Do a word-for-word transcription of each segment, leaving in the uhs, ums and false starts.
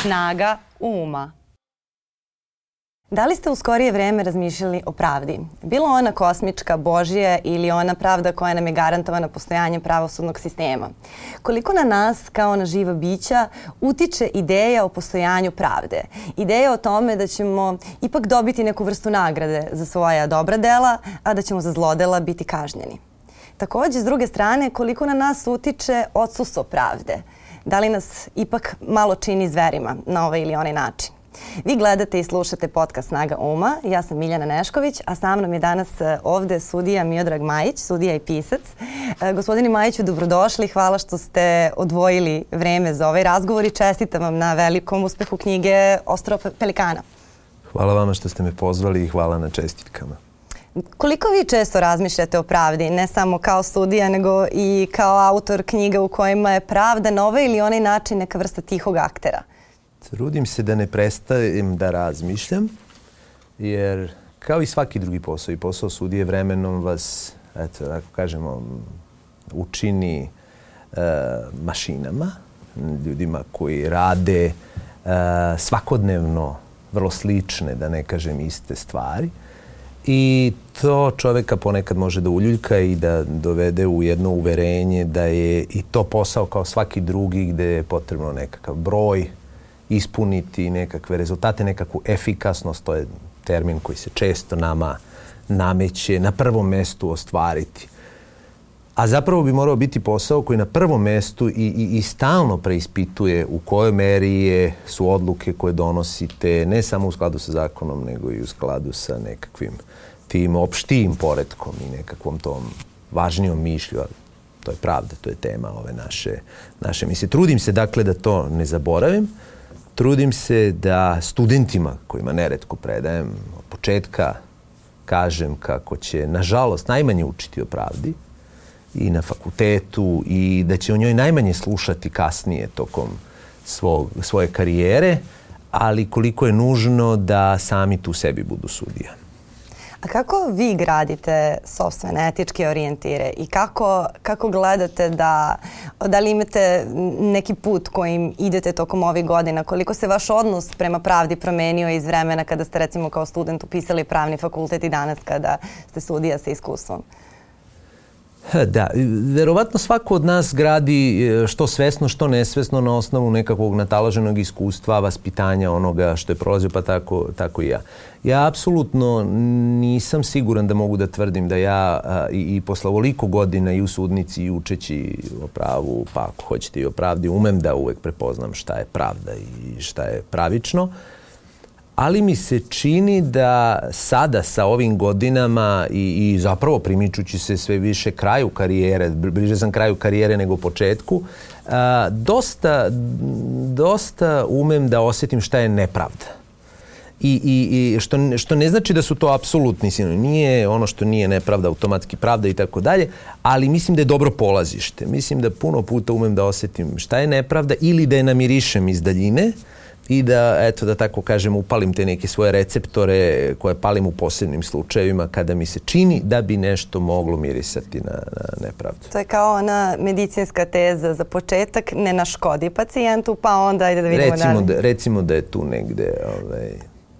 Snaga uma. Da li ste u skorije vreme razmišljali o pravdi? Bilo ona kosmička, božja ili ona pravda koja nam je garantovana postojanjem pravosudnog sistema? Koliko na nas, kao na živa bića, utiče ideja o postojanju pravde? Ideja o tome da ćemo ipak dobiti neku vrstu nagrade za svoja dobra dela, a da ćemo za zlodela biti kažnjeni. Takođe, s druge strane, koliko na nas utiče odsustvo pravde? Da li nas ipak malo čini zverima na ovaj ili onaj način? Vi gledate i slušate podcast Snaga uma. Ja sam Miljana Nešković, a sa mnom je danas ovde sudija Miodrag Majić, sudija i pisac. Gospodine Majiću, dobrodošli. Hvala što ste odvojili vreme za ovaj razgovor i čestitam vam na velikom uspehu knjige Ostrvo pelikana. Hvala vama što ste me pozvali i hvala na čestitkama. Koliko vi često razmišljate o pravdi, ne samo kao sudija, nego i kao autor knjiga u kojima je pravda na ovaj ili onaj način neka vrsta tihog aktera? Trudim se da ne prestajem da razmišljam, jer kao i svaki drugi posao, i posao sudije vremenom vas, eto, tako kažemo, učini e, mašinama, ljudima koji rade e, svakodnevno vrlo slične, da ne kažem iste stvari. I to čoveka ponekad može da uljuljka i da dovede u jedno uverenje da je i to posao kao svaki drugi gde je potrebno nekakav broj, ispuniti nekakve rezultate, nekakvu efikasnost, to je termin koji se često nama nameće, na prvom mestu ostvariti. A zapravo bi morao biti posao koji na prvom mestu i, i, i stalno preispituje u kojoj meri je, su odluke koje donosite ne samo u skladu sa zakonom, nego i u skladu sa nekakvim tim opštijim poretkom i nekakvom tom važnijom mišlju. To je pravda, to je tema ove naše, naše misle. Trudim se dakle da to ne zaboravim. Trudim se da studentima kojima neretko predajem od početka kažem kako će, nažalost, najmanje učiti o pravdi i na fakultetu i da će o njoj najmanje slušati kasnije tokom svog, svoje karijere, ali koliko je nužno da sami tu sebi budu sudija. A kako vi gradite sopstvene etičke orijentire i kako, kako gledate da, da li imate neki put kojim idete tokom ovih godina? Koliko se vaš odnos prema pravdi promenio iz vremena kada ste recimo kao student upisali pravni fakultet i danas kada ste sudija sa iskustvom? Da, verovatno svako od nas gradi što svesno, što nesvesno na osnovu nekakvog nataloženog iskustva, vaspitanja onoga što je prolazio, pa tako, tako i ja. Ja apsolutno nisam siguran da mogu da tvrdim da ja a, i, i posle ovoliko godina i u sudnici i učeći o pravu, pa ako hoćete i o pravdi, umem da uvek prepoznam šta je pravda i šta je pravično. Ali mi se čini da sada sa ovim godinama i, i zapravo primičući se sve više kraju karijere, bliže sam kraju karijere nego početku, a, dosta, dosta umem da osjetim šta je nepravda. I, i, i što, što ne znači da su to apsolutni sinonimi. Nije ono što nije nepravda automatski pravda i tako dalje, ali mislim da je dobro polazište. Mislim da puno puta umem da osjetim šta je nepravda ili da je namirišem iz daljine i da, eto, da tako kažem, upalim te neke svoje receptore koje palim u posebnim slučajevima kada mi se čini da bi nešto moglo mirisati na, na nepravdu. To je kao ona medicinska teza za početak, ne naškodi pacijentu, pa onda ajde da vidimo recimo dalje. Da, recimo da je tu negde... Ovaj...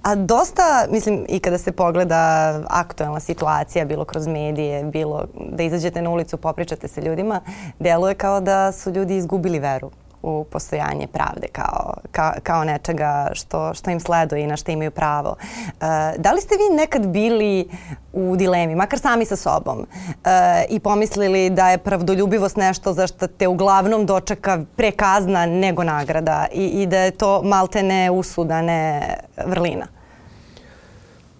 A dosta, mislim, i kada se pogleda aktuelna situacija, bilo kroz medije, bilo da izađete na ulicu, popričate sa ljudima, deluje kao da su ljudi izgubili veru u postojanje pravde kao, kao, kao nečega što, što im sleduje i na što imaju pravo. E, da li ste vi nekad bili u dilemi, makar sami sa sobom, e, i pomislili da je pravdoljubivost nešto za što te uglavnom dočeka pre kazna nego nagrada i, i da je to malte ne usuda, ne vrlina?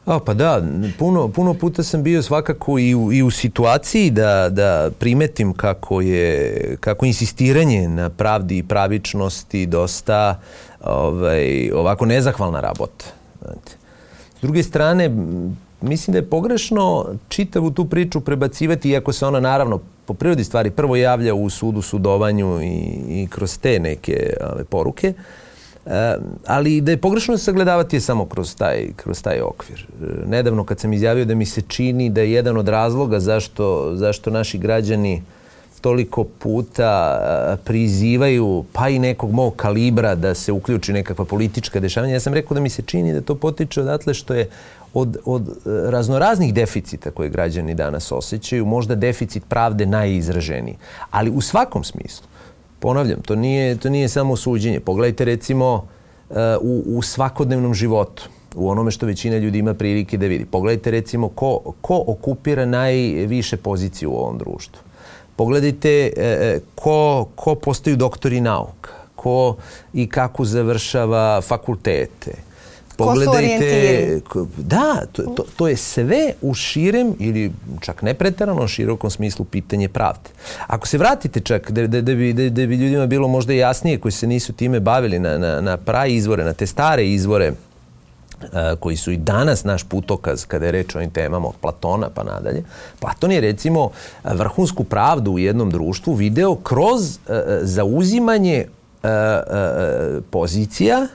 A, pa da, puno, puno puta sam bio svakako i u, i u situaciji da, da primetim kako je, kako insistiranje na pravdi i pravičnosti dosta ovaj, ovako nezahvalna rabota. Znate. S druge strane, mislim da je pogrešno čitavu tu priču prebacivati, iako se ona naravno po prirodi stvari prvo javlja u sudu, sudovanju i, i kroz te neke ove, poruke. E, ali da je pogrešno sagledavati je samo kroz taj, kroz taj okvir. E, nedavno kad sam izjavio da mi se čini da je jedan od razloga zašto, zašto naši građani toliko puta prizivaju pa i nekog mog kalibra da se uključi nekakva politička dešavanja. Ja sam rekao da mi se čini da to potiče odatle što je od, od raznoraznih deficita koje građani danas osjećaju, možda deficit pravde najizraženiji. Ali u svakom smislu, ponavljam, to nije, to nije samo suđenje. Pogledajte recimo u, u svakodnevnom životu, u onome što većina ljudi ima prilike da vidi. Pogledajte recimo ko, ko okupira najviše pozicije u ovom društvu. Pogledajte e, ko, ko postaju doktori nauka, ko i kako završava fakultete. Pogledajte, ko da, to, to, to je sve u širem ili čak ne preterano širokom smislu pitanje pravde. Ako se vratite čak da, da, da, bi, da, da bi ljudima bilo možda jasnije koji se nisu time bavili na, na, na pravi izvore, na te stare izvore koji su i danas naš putokaz kada je reč o ovim temama od Platona pa nadalje. Platon je recimo vrhunsku pravdu u jednom društvu video kroz uh, zauzimanje uh, uh, pozicija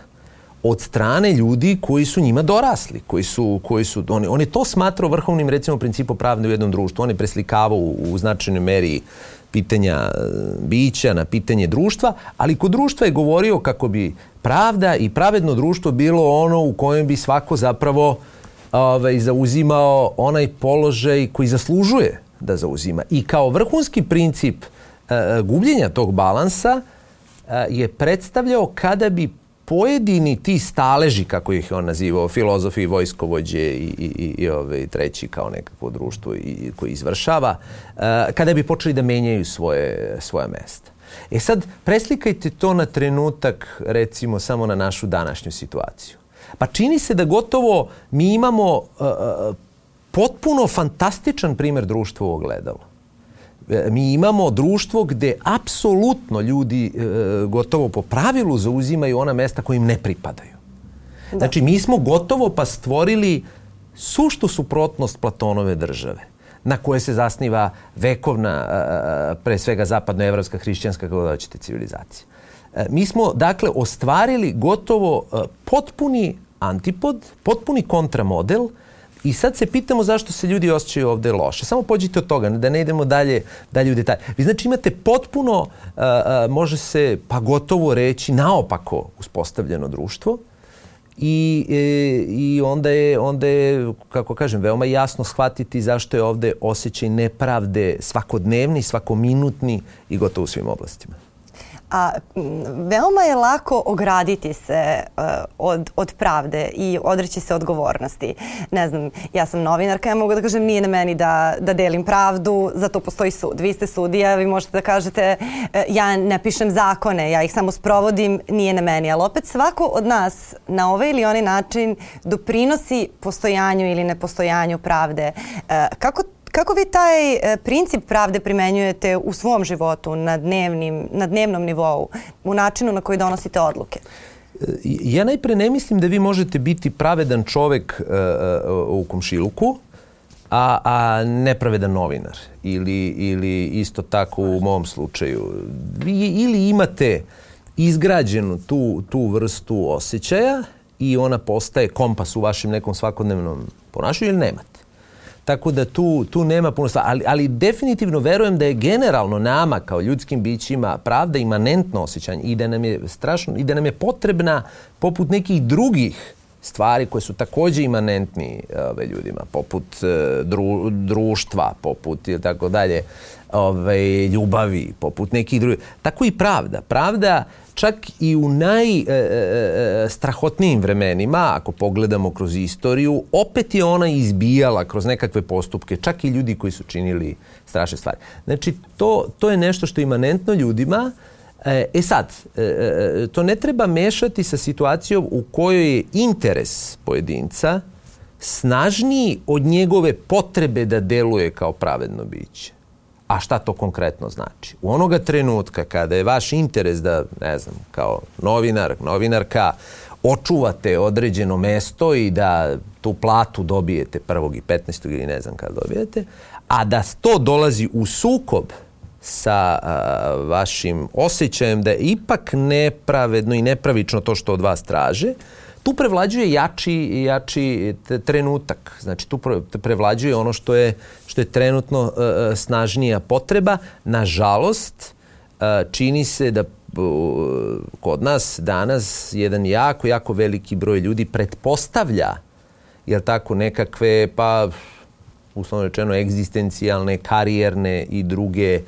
od strane ljudi koji su njima dorasli, koji su, koji su, on, on je to smatrao vrhovnim recimo principom pravde u jednom društvu. On je preslikavao u, u značajnoj meri pitanja bića na pitanje društva, ali kod društva je govorio kako bi pravda i pravedno društvo bilo ono u kojem bi svako zapravo ovaj, zauzimao onaj položaj koji zaslužuje da zauzima. I kao vrhunski princip e, gubljenja tog balansa e, je predstavljao kada bi pojedini ti staleži, kako ih je on nazivao, filozofi, vojskovođe i, i, i, i ove, treći kao nekakvo društvo i, koji izvršava, uh, kada bi počeli da menjaju svoje, svoja mesta. E sad, preslikajte to na trenutak, recimo, samo na našu današnju situaciju. Pa čini se da gotovo mi imamo uh, potpuno fantastičan primjer društva u ogledalu. Mi imamo društvo gde apsolutno ljudi e, gotovo po pravilu zauzimaju ona mesta koja im ne pripadaju. Da. Znači, mi smo gotovo pa stvorili suštu suprotnost Platonove države, na koje se zasniva vekovna, e, pre svega zapadnoevropska, hrišćanska, kako da hoćete, civilizacija. E, mi smo, dakle, ostvarili gotovo e, potpuni antipod, potpuni kontramodel. I sad se pitamo zašto se ljudi osjećaju ovde loše. Samo pođite od toga, da ne idemo dalje, dalje u detalje. Vi znači imate potpuno, uh, uh, može se pa gotovo reći, naopako uspostavljeno društvo i, e, i onda, je, onda je, kako kažem, veoma jasno shvatiti zašto je ovde osjećaj nepravde svakodnevni, svakominutni i gotovo u svim oblastima. A veoma je lako ograditi se uh, od, od pravde i odreći se odgovornosti. Ne znam, ja sam novinarka, ja mogu da kažem nije na meni da, da delim pravdu, zato postoji sud. Vi ste sudija, vi možete da kažete uh, ja ne pišem zakone, ja ih samo sprovodim, nije na meni. Ali opet svako od nas na ovaj ili onaj način doprinosi postojanju ili nepostojanju pravde. Uh, kako Kako vi taj e, princip pravde primenjujete u svom životu na, dnevnim, na dnevnom nivou, u načinu na koji donosite odluke? Ja najpre ne mislim da vi možete biti pravedan čovek e, u komšiluku, a, a nepravedan novinar. Ili, ili isto tako u mom slučaju. Vi ili imate izgrađenu tu, tu vrstu osjećaja i ona postaje kompas u vašem nekom svakodnevnom ponašanju ili nemate. Tako da tu, tu nema puno stvari. Ali, ali definitivno verujem da je generalno nama kao ljudskim bićima pravda imanentno osjećanje i da nam je strašno, i da nam je potrebna poput nekih drugih stvari koje su takođe imanentni ove, ljudima, poput dru, društva, poput i tako dalje, ove, ljubavi, poput nekih drugih. Tako i pravda. Pravda čak i u najstrahotnijim vremenima, ako pogledamo kroz istoriju, opet je ona izbijala kroz nekakve postupke, čak i ljudi koji su činili strašne stvari. Znači, to, to je nešto što je imanentno ljudima. E sad, to ne treba mešati sa situacijom u kojoj je interes pojedinca snažniji od njegove potrebe da deluje kao pravedno biće. A šta to konkretno znači? U onoga trenutka kada je vaš interes da, ne znam, kao novinar, novinarka, očuvate određeno mesto i da tu platu dobijete prvog i petnaestog ili ne znam kada dobijete, a da to dolazi u sukob sa a, vašim osjećajem da je ipak nepravedno i nepravično to što od vas traže, tu prevlađuje jači, jači trenutak. Znači, tu prevlađuje ono što je, što je trenutno uh, snažnija potreba. Nažalost, uh, čini se da uh, kod nas danas jedan jako, jako veliki broj ljudi pretpostavlja, jer tako, nekakve, pa, uslovno rečeno, egzistencijalne, karijerne i druge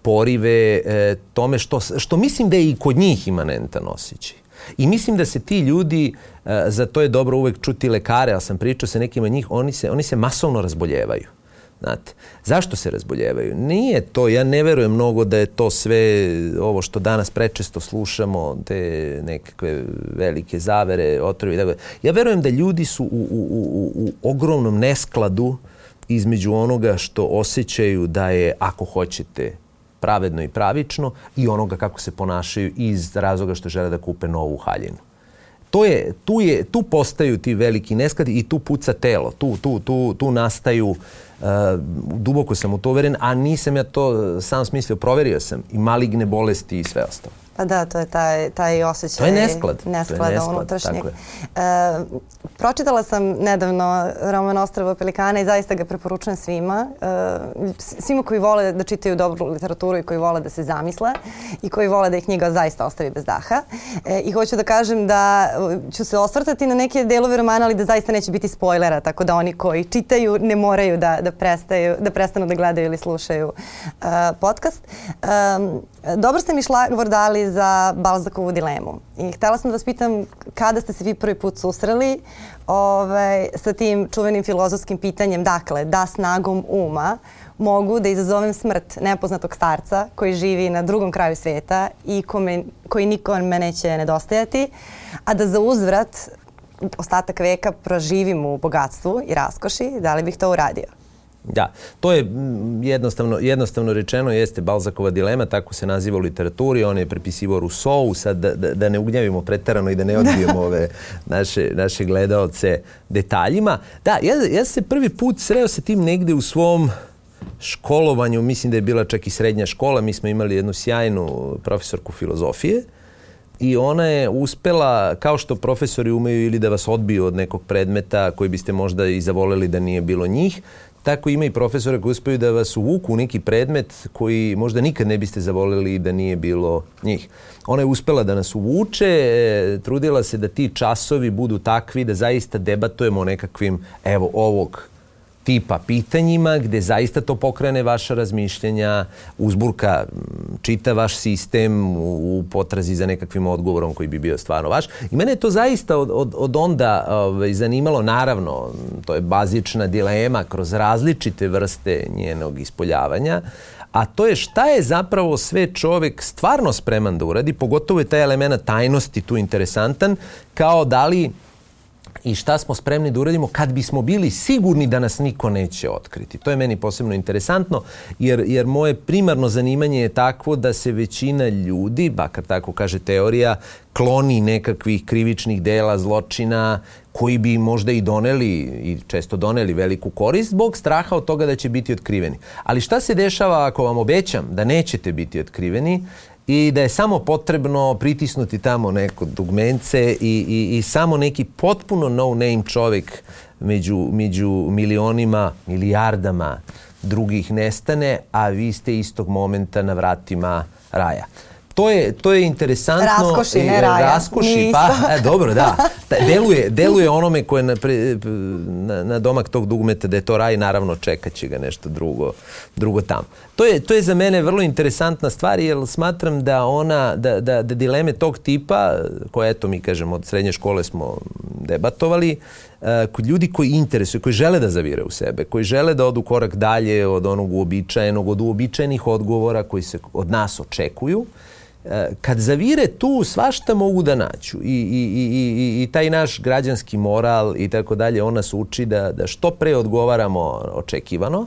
porive e, tome što, što mislim da je i kod njih imanentan osjećaj. I mislim da se ti ljudi, e, za to je dobro uvek čuti lekare, ali sam pričao sa nekima njih, oni se, oni se masovno razboljevaju. Znate, zašto se razboljevaju? Nije to, ja ne verujem mnogo da je to sve ovo što danas prečesto slušamo, te nekakve velike zavere, otrovi. Tako. Ja verujem da ljudi su u, u, u, u ogromnom neskladu između onoga što osjećaju da je, ako hoćete, pravedno i pravično i onoga kako se ponašaju iz razloga što žele da kupe novu haljinu. To je, tu, je, tu postaju ti veliki neskladi i tu puca telo. Tu, tu, tu, tu nastaju, uh, duboko sam u to uveren, a nisam ja to sam smislio, proverio sam i maligne bolesti i sve ostalo. Pa da, to je taj, taj osjećaj. To je nesklad. Nesklada to je nesklad, unutrašnjeg. E, pročitala sam nedavno roman Ostrvo pelikana i zaista ga preporučujem svima. E, svima koji vole da čitaju dobru literaturu i koji vole da se zamisle i koji vole da ih knjiga zaista ostavi bez daha. E, I hoću da kažem da ću se osvrtati na neke delove romana, ali da zaista neće biti spoilera, tako da oni koji čitaju ne moraju da, da, prestaju, da prestanu da gledaju ili slušaju uh, podcast. Um, dobro ste mi šlagvor dali za Balzakovu dilemu. I htjela sam da vas pitam kada ste se vi prvi put susreli ovaj, sa tim čuvenim filozofskim pitanjem, dakle, da snagom uma mogu da izazovem smrt nepoznatog starca koji živi na drugom kraju svijeta i kome, koji nikome neće nedostajati, a da za uzvrat ostatak veka proživim u bogatstvu i raskoši, da li bih to uradio? Da, to je jednostavno, jednostavno rečeno, jeste Balzakova dilema, tako se naziva u literaturi, on je prepisivao Rousseau, sad da, da, da ne ugnjavimo preterano i da ne odbijemo ove naše, naše gledaoce detaljima. Da, ja, ja se prvi put sreo sa tim negde u svom školovanju, mislim da je bila čak i srednja škola, mi smo imali jednu sjajnu profesorku filozofije i ona je uspela, kao što profesori umeju ili da vas odbiju od nekog predmeta koji biste možda i zavoleli da nije bilo njih, tako ima i profesora koji uspeju da vas uvuku u neki predmet koji možda nikad ne biste zavoleli da nije bilo njih. Ona je uspela da nas uvuče, trudila se da ti časovi budu takvi da zaista debatujemo o nekakvim, evo, ovog tipa pitanjima gde zaista to pokrene vaša razmišljenja, uzburka čita vaš sistem u potrazi za nekakvim odgovorom koji bi bio stvarno vaš. I mene je to zaista od, od, od onda ovaj, zanimalo, naravno, to je bazična dilema kroz različite vrste njenog ispoljavanja, a to je šta je zapravo sve čovjek stvarno spreman da uradi, pogotovo je taj element tajnosti tu interesantan, kao da li i šta smo spremni da uradimo kad bismo bili sigurni da nas niko neće otkriti. To je meni posebno interesantno, jer, jer moje primarno zanimanje je takvo da se većina ljudi, bakar tako kaže teorija, kloni nekakvih krivičnih dela, zločina, koji bi možda i doneli, i često doneli veliku korist, zbog straha od toga da će biti otkriveni. Ali šta se dešava ako vam obećam da nećete biti otkriveni, i da je samo potrebno pritisnuti tamo neko dugmence i, i, i samo neki potpuno no-name čovjek među, među milionima, milijardama drugih nestane, a vi ste istog momenta na vratima raja. To je, to je interesantno. Raskoši, ne raja. Raskoši, pa, e, dobro, da. Deluje, deluje onome koje na, na, na domak tog dugmeta da je to raj, naravno čekat će ga nešto drugo, drugo tamo. To je, to je za mene vrlo interesantna stvar, jer smatram da ona, da, da, da dileme tog tipa, koje eto mi kažemo od srednje škole smo debatovali, kod ljudi koji interesuju, koji žele da zavire u sebe, koji žele da odu korak dalje od onog uobičajenog, od uobičajenih odgovora koji se od nas očekuju, kad zavire tu, svašta mogu da nađu. I, i, i, i, i taj naš građanski moral i tako dalje, on nas uči da, da što pre odgovaramo očekivano,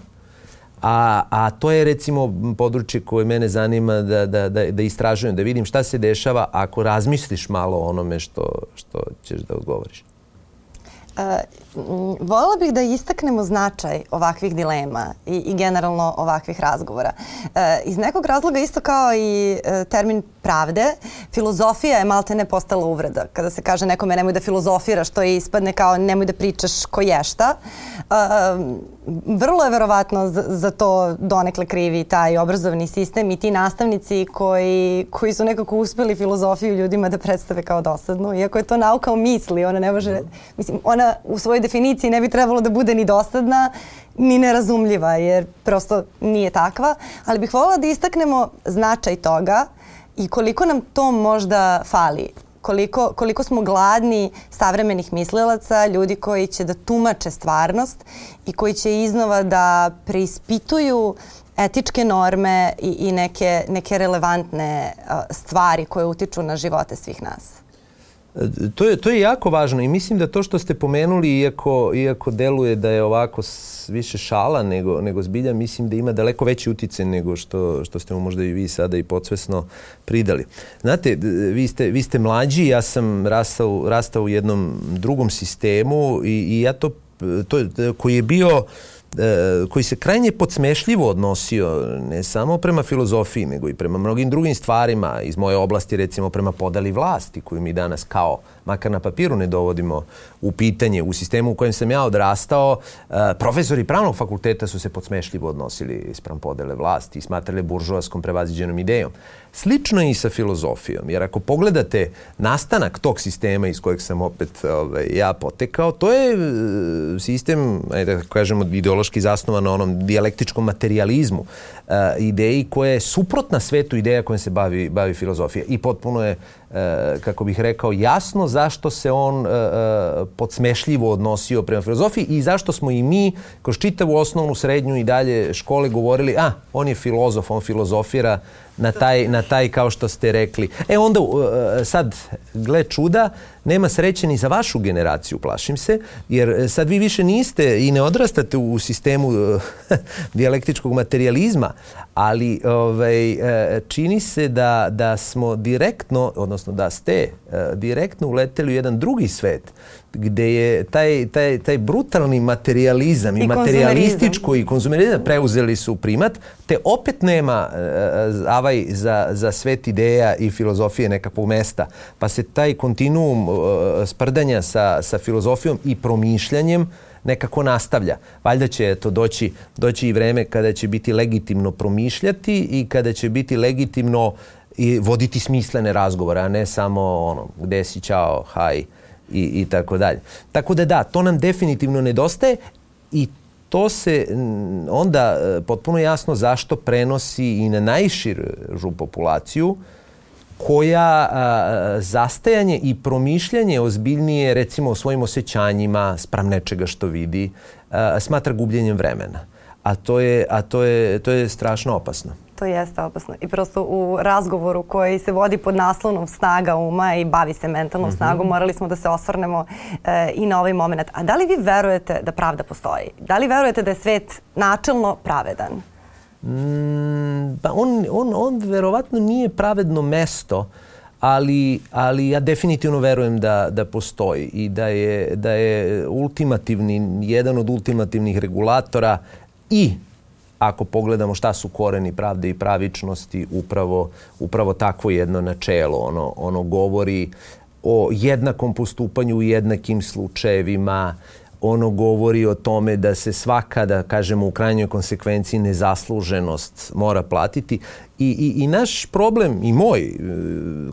a, a to je recimo područje koje mene zanima da, da, da, da istražujem, da vidim šta se dešava ako razmisliš malo o onome što, što ćeš da odgovoriš. Volela bih da istaknemo značaj ovakvih dilema i, i generalno ovakvih razgovora. E, iz nekog razloga, isto kao i e, termin pravde, filozofija je malte ne postala uvreda. Kada se kaže nekome nemoj da filozofiraš, to je ispadne kao nemoj da pričaš ko je šta. E, vrlo je verovatno za, za to donekle krivi taj obrazovni sistem i ti nastavnici koji, koji su nekako uspeli filozofiju ljudima da predstave kao dosadnu. Iako je to nauka o misli, ona ne može, mislim, ona u svojoj definiciji ne bi trebalo da bude ni dosadna, ni nerazumljiva, jer prosto nije takva. Ali bih voljela da istaknemo značaj toga i koliko nam to možda fali. Koliko, koliko smo gladni savremenih mislilaca, ljudi koji će da tumače stvarnost i koji će iznova da preispituju etičke norme i, i neke, neke relevantne uh, stvari koje utiču na živote svih nas. To je, to je jako važno i mislim da to što ste pomenuli, iako, iako deluje da je ovako više šala nego, nego zbilja, mislim da ima daleko veći uticaj nego što, što ste mu možda i vi sada i podsvesno pridali. Znate, vi ste, vi ste mlađi, ja sam rastao, rastao u jednom drugom sistemu i, i ja to, to koji je bio koji se krajnje podsmešljivo odnosio ne samo prema filozofiji, nego i prema mnogim drugim stvarima iz moje oblasti, recimo prema podeli vlasti koju mi danas kao, makar na papiru, ne dovodimo u pitanje. U sistemu u kojem sam ja odrastao, profesori pravnog fakulteta su se podsmešljivo odnosili sprem podele vlasti i smatrali buržoaskom prevaziđenom idejom. Slično je i sa filozofijom, jer ako pogledate nastanak tog sistema iz kojeg sam opet ovaj, ja potekao, to je sistem, ajde da kažemo, ideološki zasnovan na onom dijalektičkom materijalizmu, uh, ideji koja je suprotna svetu ideja kojom se bavi, bavi filozofija. I potpuno je, uh, kako bih rekao, jasno zašto se on uh, uh, podsmešljivo odnosio prema filozofiji i zašto smo i mi kroz čitavu osnovnu, srednju i dalje škole govorili, a, on je filozof, on filozofira, na taj, na taj, kao što ste rekli. E onda, sad, gle čuda, nema sreće ni za vašu generaciju, plašim se, jer sad vi više niste i ne odrastate u sistemu dijalektičkog materijalizma, ali ovaj, čini se da, da smo direktno, odnosno da ste direktno uleteli u jedan drugi svet, gde je taj, taj, taj brutalni materijalizam i, i materijalističko i konzumerizam preuzeli su primat, te opet nema uh, avaj za, za svet ideja i filozofije nekakvog mesta. Pa se taj kontinuum uh, sprdanja sa, sa filozofijom i promišljanjem nekako nastavlja. Valjda će to doći, doći i vreme kada će biti legitimno promišljati i kada će biti legitimno i voditi smislene razgovore, a ne samo ono, gde si, čao, haj, i, i tako dalje. Tako da da, to nam definitivno nedostaje i to se onda potpuno jasno zašto prenosi i na najširu populaciju koja a, zastajanje i promišljanje ozbiljnije, recimo o svojim osjećanjima spram nečega što vidi, a, smatra gubljenjem vremena. A to je, a to je, to je strašno opasno. To jeste opasno. I prosto u razgovoru koji se vodi pod naslovom snaga uma i bavi se mentalnom mm-hmm. snagom, morali smo da se osvrnemo e, i na ovaj moment. A da li vi verujete da pravda postoji? Da li verujete da je svet načelno pravedan? Mm, pa on, on, on verovatno nije pravedno mesto, ali, ali ja definitivno verujem da, da postoji i da je, da je ultimativni, jedan od ultimativnih regulatora i ako pogledamo šta su koreni pravde i pravičnosti, upravo, upravo takvo jedno načelo. Ono, ono govori o jednakom postupanju u jednakim slučajevima, ono govori o tome da se svaka, da kažemo u krajnjoj konsekvenciji, nezasluženost mora platiti. I, i, i naš problem, i moj,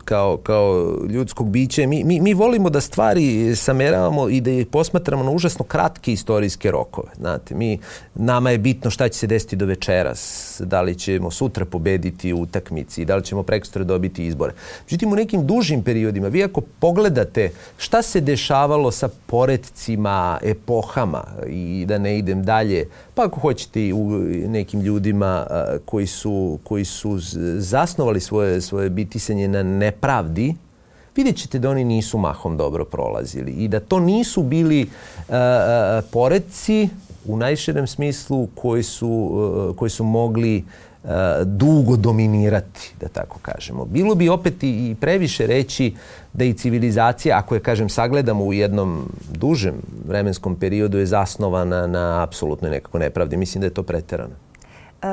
kao, kao ljudskog bića, mi, mi, mi volimo da stvari sameravamo i da ih posmatramo na užasno kratke istorijske rokove. Znate, mi, nama je bitno šta će se desiti do večeras, da li ćemo sutra pobediti u utakmici, da li ćemo prekosutra dobiti izbore. Međutim, u nekim dužim periodima, vi ako pogledate šta se dešavalo sa poretcima, epohama, i da ne idem dalje, pa ako hoćete i u nekim ljudima a, koji su, koji su zasnovali svoje, svoje bitisanje na nepravdi, vidjet ćete da oni nisu mahom dobro prolazili i da to nisu bili a, a, poretci u najširem smislu koji su, a, koji su mogli uh, dugo dominirati, da tako kažemo. Bilo bi opet i previše reći da i civilizacija, ako je, kažem, sagledamo u jednom dužem vremenskom periodu, je zasnovana na apsolutnoj nekako nepravdi. Mislim da je to preterano. Uh,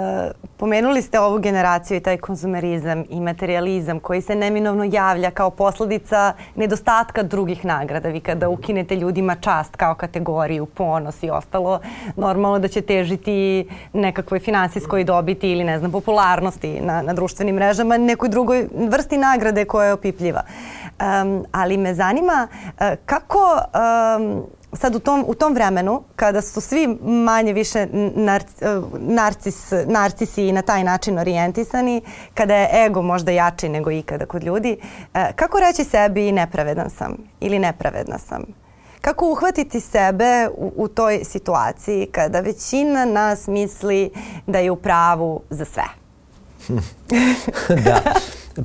pomenuli ste ovu generaciju i taj konzumerizam i materializam koji se neminovno javlja kao posledica nedostatka drugih nagrada. Vi kada ukinete ljudima čast kao kategoriju, ponos i ostalo, normalno da će težiti nekakvoj finansijskoj dobiti ili, ne znam, popularnosti na, na društvenim mrežama, nekoj drugoj vrsti nagrade koja je opipljiva. Um, ali me zanima uh, kako... Um, Sad u tom, u tom vremenu, kada su svi manje više nar, narcis, narcisi i na taj način orijentisani, kada je ego možda jači nego ikada kod ljudi, kako reći sebi nepravedan sam ili nepravedna sam? Kako uhvatiti sebe u, u toj situaciji kada većina nas misli da je u pravu za sve? Da.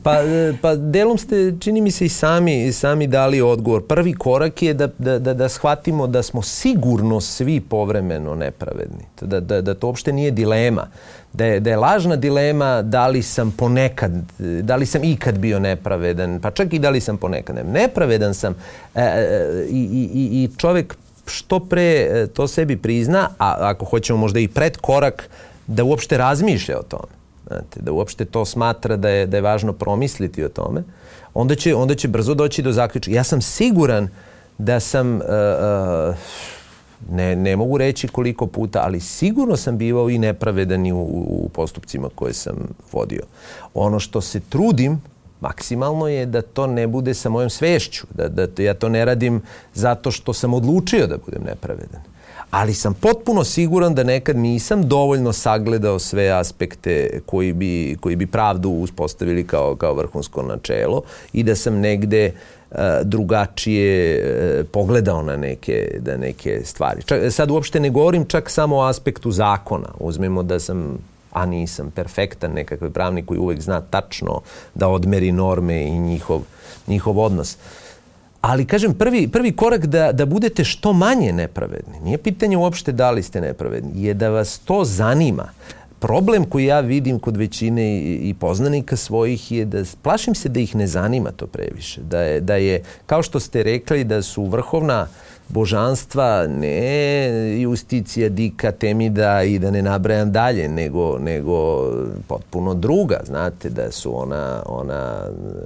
Pa, pa delom ste, čini mi se, i sami, sami dali odgovor. Prvi korak je da, da, da, da shvatimo da smo sigurno svi povremeno nepravedni. Da, da, da to uopšte nije dilema. Da je, da je lažna dilema da li sam ponekad, da li sam ikad bio nepravedan, pa čak i da li sam ponekad. Nepravedan sam e, e, i, i, i čovjek što pre to sebi prizna, a ako hoćemo možda i pred korak, da uopšte razmišlja o tome. Znate, da uopšte to smatra da je, da je važno promisliti o tome, onda će, onda će brzo doći do zaključka. Ja sam siguran da sam, uh, uh, ne, ne mogu reći koliko puta, ali sigurno sam bivao i nepravedan i u, u postupcima koje sam vodio. Ono što se trudim maksimalno je da to ne bude sa mojom svešću, da, da ja to ne radim zato što sam odlučio da budem nepravedan. Ali sam potpuno siguran da nekad nisam dovoljno sagledao sve aspekte koji bi, koji bi pravdu uspostavili kao, kao vrhunsko načelo i da sam negde uh, drugačije uh, pogledao na neke, da neke stvari. Čak, sad uopšte ne govorim čak samo o aspektu zakona. Uzmemo da sam, a nisam perfektan nekakav pravnik koji uvek zna tačno da odmeri norme i njihov, njihov odnos. Ali, kažem, prvi, prvi korak da, da budete što manje nepravedni, nije pitanje uopšte da li ste nepravedni, je da vas to zanima. Problem koji ja vidim kod većine i, i poznanika svojih je da plašim se da ih ne zanima to previše. Da je, da je, kao što ste rekli, da su vrhovna božanstva ne Justicija, Dika, Temida i da ne nabrajam dalje, nego, nego potpuno druga. Znate, da su ona, ona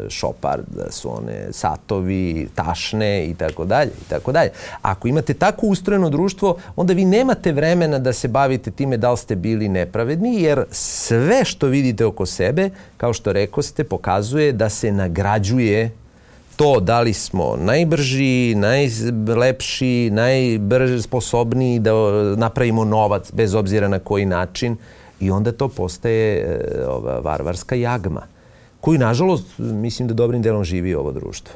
Šopar, da su one Satovi, Tašne i tako dalje, i tako dalje. Ako imate tako ustrojeno društvo, onda vi nemate vremena da se bavite time da li ste bili nepravedni, jer sve što vidite oko sebe, kao što rekoste, pokazuje da se nagrađuje to da li smo najbrži, najlepši, najbrži, sposobniji da napravimo novac bez obzira na koji način, i onda to postaje e, ova varvarska jagma koju, nažalost, mislim da dobrim delom živi ovo društvo.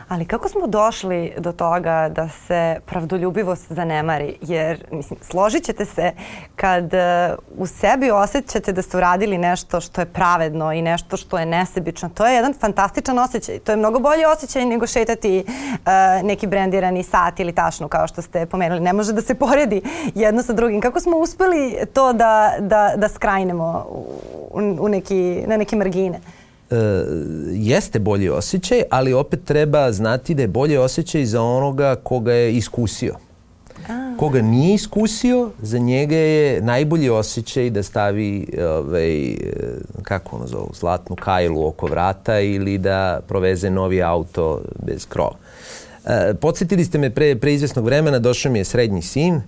Ali kako smo došli do toga da se pravdoljubivost zanemari? Jer, mislim, složit ćete se kad uh, u sebi osjećate da ste uradili nešto što je pravedno i nešto što je nesebično. To je jedan fantastičan osjećaj. To je mnogo bolji osjećaj nego šetati uh, neki brendirani sat ili tašnu, kao što ste pomenuli. Ne može da se poredi jedno sa drugim. Kako smo uspeli to da, da, da skrajnemo u, u neki, na neke margine? Uh, jeste bolji osjećaj, ali opet treba znati da je bolji osjećaj za onoga koga je iskusio. A. Koga nije iskusio, za njega je najbolji osjećaj da stavi ovaj, kako ono zovu, zlatnu kajlu oko vrata ili da proveze novi auto bez krova. Uh, podsjetili ste me pre, pre izvesnog vremena, došao mi je srednji sin.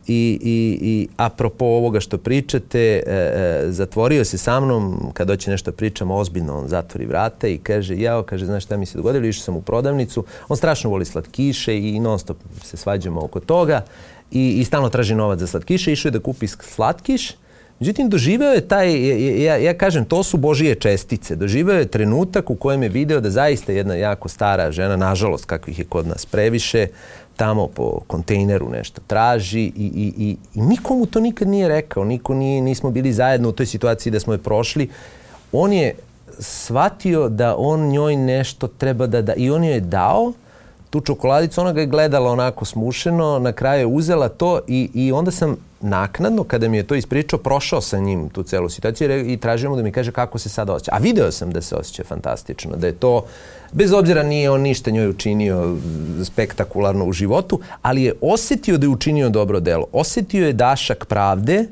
I, i, i apropo ovoga što pričate, e, e, zatvorio se sa mnom, kad hoće nešto pričamo ozbiljno, on zatvori vrata i kaže, jao, kaže, znaš šta mi se dogodilo, išao sam u prodavnicu, on strašno voli slatkiše i non stop se svađamo oko toga i, i stalno traži novac za slatkiše, išao je da kupi slatkiš. Međutim, doživeo je taj, ja, ja kažem, to su Božije čestice, doživeo je trenutak u kojem je video da zaista jedna jako stara žena, nažalost, kakvih je kod nas previše, tamo po kontejneru nešto traži i, i, i, i nikomu to nikad nije rekao, niko nije, nismo bili zajedno u toj situaciji da smo je prošli. On je shvatio da on njoj nešto treba da da i on joj je dao tu čokoladicu, ona ga je gledala onako smušeno, na kraju je uzela to i, i onda sam naknadno, kada mi je to ispričao, prošao sa njim tu celu situaciju i tražio mu da mi kaže kako se sada osjeća. A video sam da se osjeća fantastično, da je to, bez obzira nije on ništa njoj učinio spektakularno u životu, ali je osjetio da je učinio dobro delo. Osjetio je dašak pravde,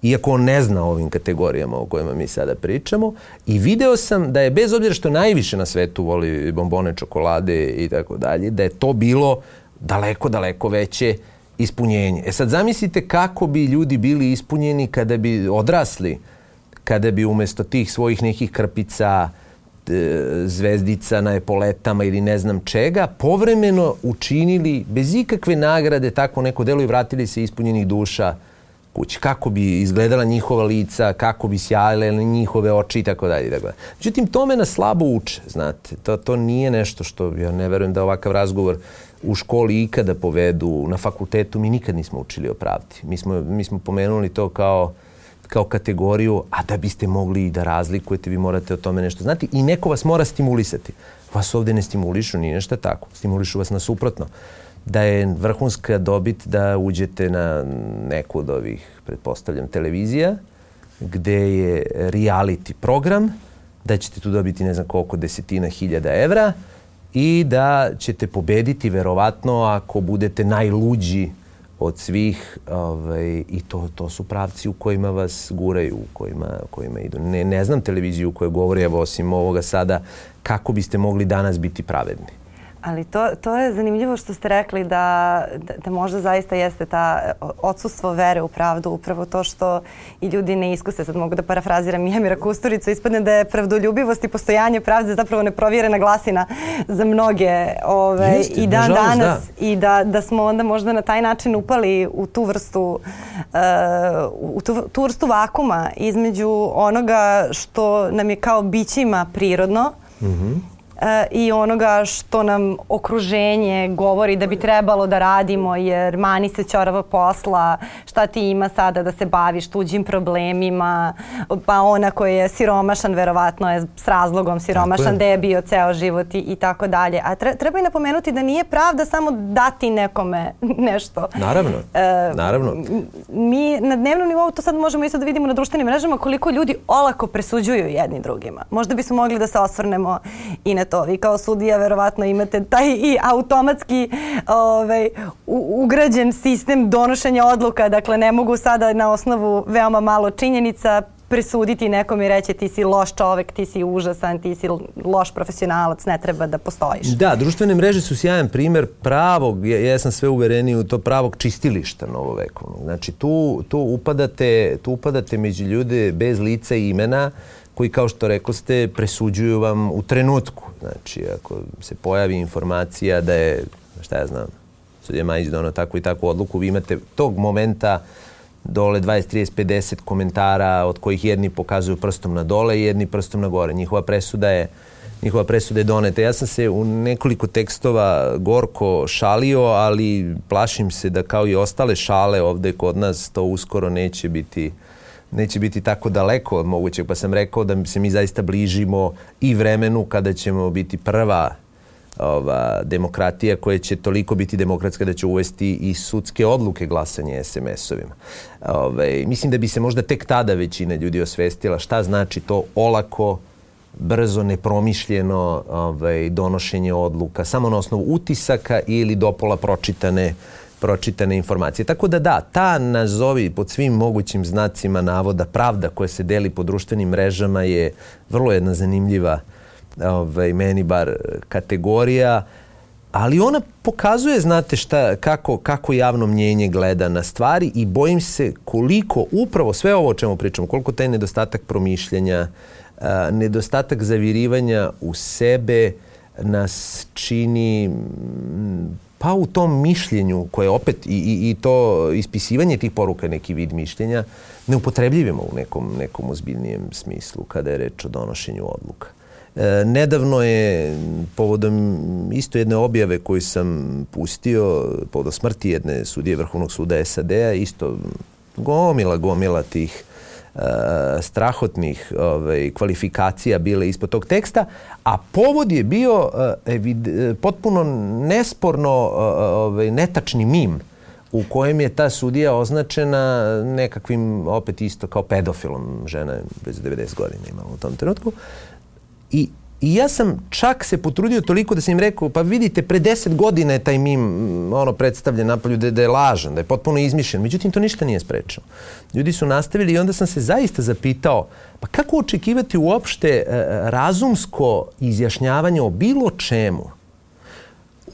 iako on ne zna o ovim kategorijama o kojima mi sada pričamo. I video sam da je, bez obzira što najviše na svetu voli bombone, čokolade i tako dalje, da je to bilo daleko, daleko veće ispunjenje. E sad zamislite kako bi ljudi bili ispunjeni kada bi odrasli, kada bi umjesto tih svojih nekih krpica, zvezdica na epoletama ili ne znam čega, povremeno učinili bez ikakve nagrade takvo neko delo i vratili se ispunjenih duša kući. Kako bi izgledala njihova lica, kako bi sjajile njihove oči i tako dalje. Međutim, tome nas slabo uče, znate. To, to nije nešto što, ja ne verujem da ovakav razgovor u školi ikada povedu. Na fakultetu mi nikad nismo učili o pravdi. Mi smo, mi smo pomenuli to kao, kao kategoriju, a da biste mogli i da razlikujete, vi morate o tome nešto znati i neko vas mora stimulisati. Vas ovdje ne stimulišu, nije nešto tako. Stimulišu vas na suprotno. Da je vrhunska dobit da uđete na neku od ovih, pretpostavljam, televizija, gde je reality program, da ćete tu dobiti ne znam koliko desetina hiljada evra i da ćete pobediti verovatno ako budete najluđi od svih, ovaj, i to, to su pravci u kojima vas guraju, u kojima, u kojima idu. Ne, ne znam televiziju u kojoj govori, evo, osim ovoga sada, kako biste mogli danas biti pravedni. Ali to, to je zanimljivo što ste rekli da, da, da možda zaista jeste ta odsustvo vere u pravdu, upravo to što i ljudi ne iskuse. Sad mogu da parafraziram Emira Kusturicu, ispadne da je pravdoljubivost i postojanje pravde zapravo neprovjerena glasina za mnoge ove, Jeste, i dan nažalost, danas da. i da, da smo onda možda na taj način upali u tu vrstu, uh, u tu, tu vrstu vakuma između onoga što nam je kao bićima prirodno, mm-hmm. i onoga što nam okruženje govori da bi trebalo da radimo jer mani se ćorava posla, šta ti ima sada da se baviš tuđim problemima, pa ona koji je siromašan verovatno je s razlogom siromašan, da je bio ceo život i, i tako dalje. A tre, treba i napomenuti da nije pravda samo dati nekome nešto. Naravno, e, naravno. Mi na dnevnom nivou to sad možemo isto da vidimo na društvenim mrežama koliko ljudi olako presuđuju jedni drugima. Možda bismo mogli da se osvrnemo i na to. Vi kao sudija verovatno imate taj i automatski ovaj, u, ugrađen sistem donošenja odluka. Dakle, ne mogu sada na osnovu veoma malo činjenica presuditi nekom i reći ti si loš čovek, ti si užasan, ti si loš profesionalac, ne treba da postojiš. Da, društvene mreže su sjajan primjer pravog, ja, ja sam sve uvereniji u to pravog čistilišta novovekovnog. Znači tu, tu, upadate, tu upadate među ljude bez lica i imena koji, kao što rekoste, presuđuju vam u trenutku. Znači, ako se pojavi informacija da je, šta ja znam, sudija Majić donao takvu i takvu odluku, vi imate tog momenta dole dvadeset, trideset, pedeset komentara od kojih jedni pokazuju prstom na dole i jedni prstom na gore. Njihova presuda je, njihova presuda je doneta. Ja sam se u nekoliko tekstova gorko šalio, ali plašim se da kao i ostale šale ovde kod nas to uskoro neće biti neće biti tako daleko od mogućeg, pa sam rekao da se mi zaista bližimo i vremenu kada ćemo biti prva ova, demokratija koja će toliko biti demokratska da će uvesti i sudske odluke glasanje es em es-ovima. Ove, mislim da bi se možda tek tada većina ljudi osvestila šta znači to olako, brzo, nepromišljeno ovaj, donošenje odluka, samo na osnovu utisaka ili dopola pročitane pročitane informacije. Tako da da, ta nazovi pod svim mogućim znacima navoda pravda koja se deli po društvenim mrežama je vrlo jedna zanimljiva, ovaj, meni bar, kategorija, ali ona pokazuje, znate šta, kako, kako javno mnjenje gleda na stvari i bojim se koliko upravo sve ovo o čemu pričamo, koliko taj nedostatak promišljanja, a, nedostatak zavirivanja u sebe nas čini pa u tom mišljenju koje opet i, i, i to ispisivanje tih poruka neki vid mišljenja neupotrebljivimo u nekom, nekom ozbiljnijem smislu kada je reč o donošenju odluka. E, nedavno je povodom isto jedne objave koju sam pustio povodom smrti jedne sudije Vrhovnog suda es a de a, isto gomila, gomila tih Uh, strahotnih ovaj, kvalifikacija bile ispod tog teksta, a povod je bio uh, evid, potpuno nesporno uh, ovaj, netačni mim u kojem je ta sudija označena nekakvim, opet isto kao pedofilom. Žena je bez devedeset godina imala u tom trenutku. I, I ja sam čak se potrudio toliko da sam im rekao, pa vidite, pre deset godina je taj mim ono, predstavljen napolju da, da je lažan, da je potpuno izmišljen. Međutim, to ništa nije sprečilo. Ljudi su nastavili i onda sam se zaista zapitao, pa kako očekivati uopšte e, razumsko izjašnjavanje o bilo čemu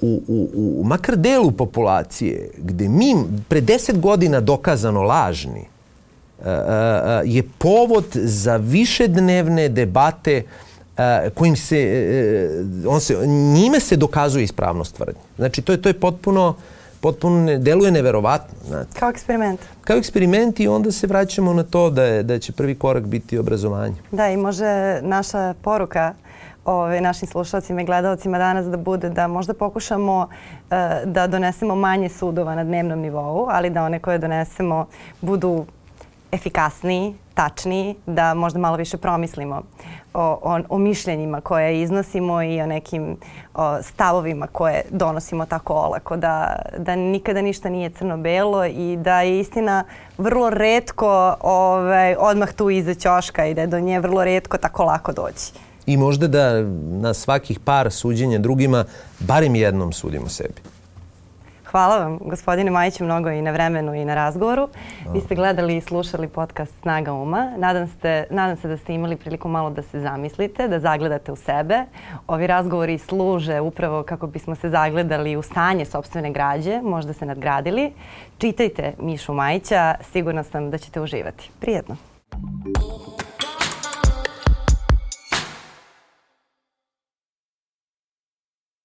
u, u, u makar delu populacije gde mi pre deset godina dokazano lažni e, e, je povod za višednevne debate Uh, kojim se, uh, on se, njime se dokazuje ispravnost tvrdnje. Znači, to je, to je potpuno, potpuno ne, deluje neverovatno. Znate. Kao eksperiment. Kao eksperiment i onda se vraćamo na to da, je, da će prvi korak biti obrazovanje. Da, i može naša poruka ove, našim slušalcima i gledalcima danas da bude da možda pokušamo uh, da donesemo manje sudova na dnevnom nivou, ali da one koje donesemo budu efikasniji, tačniji, da možda malo više promislimo o, o, o mišljenjima koje iznosimo i o nekim o, stavovima koje donosimo tako olako, da, da nikada ništa nije crno-belo i da je istina vrlo retko ovaj, odmah tu iza ćoška i da je do nje vrlo retko tako lako doći. I možda da na svakih par suđenja drugima barem jednom sudimo sebi. Hvala vam, gospodine Majiću, mnogo i na vremenu i na razgovoru. Vi ste gledali i slušali podcast Snaga uma. Nadam, ste, nadam se da ste imali priliku malo da se zamislite, da zagledate u sebe. Ovi razgovori služe upravo kako bismo se zagledali u stanje sopstvene građe, možda se nadgradili. Čitajte Mišu Majića, sigurna sam da ćete uživati. Prijetno!